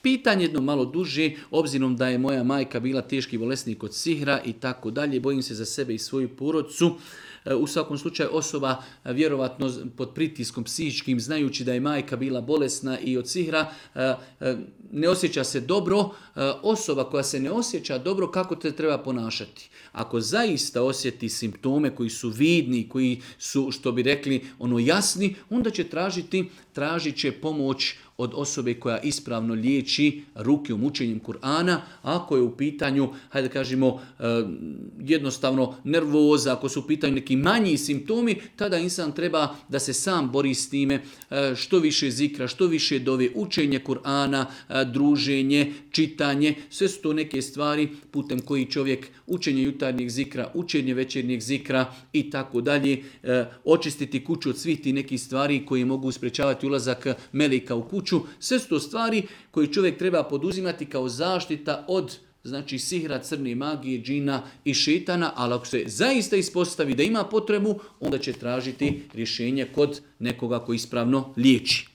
Pitanje jedno malo duže, obzirom da je moja majka bila teški bolesnik od sihra i tako dalje, bojim se za sebe i svoju porodcu. U svakom slučaju osoba vjerovatno pod pritiskom psihičkim, znajući da je majka bila bolesna i od sihra, ne osjeća se dobro. Osoba koja se ne osjeća dobro, kako te treba ponašati? Ako zaista osjeti simptome koji su vidni, koji su, što bi rekli, jasni, onda će tražit će pomoć od osobe koja ispravno liječi rukijom, učenjem Kur'ana. Ako je u pitanju, hajde kažemo, jednostavno nervoza, ako su u pitanju neki manji simptomi, tada insan treba da se sam bori s time, što više zikra, što više dove, učenje Kur'ana, druženje, čitanje, sve su to neke stvari putem koji čovjek, učenje jutarnjeg zikra, učenje večernjeg zikra i tako dalje, očistiti kuću od svih tih nekih stvari koji mogu sprečavati ulazak meleka u kuću. Sve su to stvari koje čovjek treba poduzimati kao zaštita od sihra, crne magije, džina i šetana, ali ako se zaista ispostavi da ima potrebu, onda će tražiti rješenje kod nekoga koji ispravno liječi.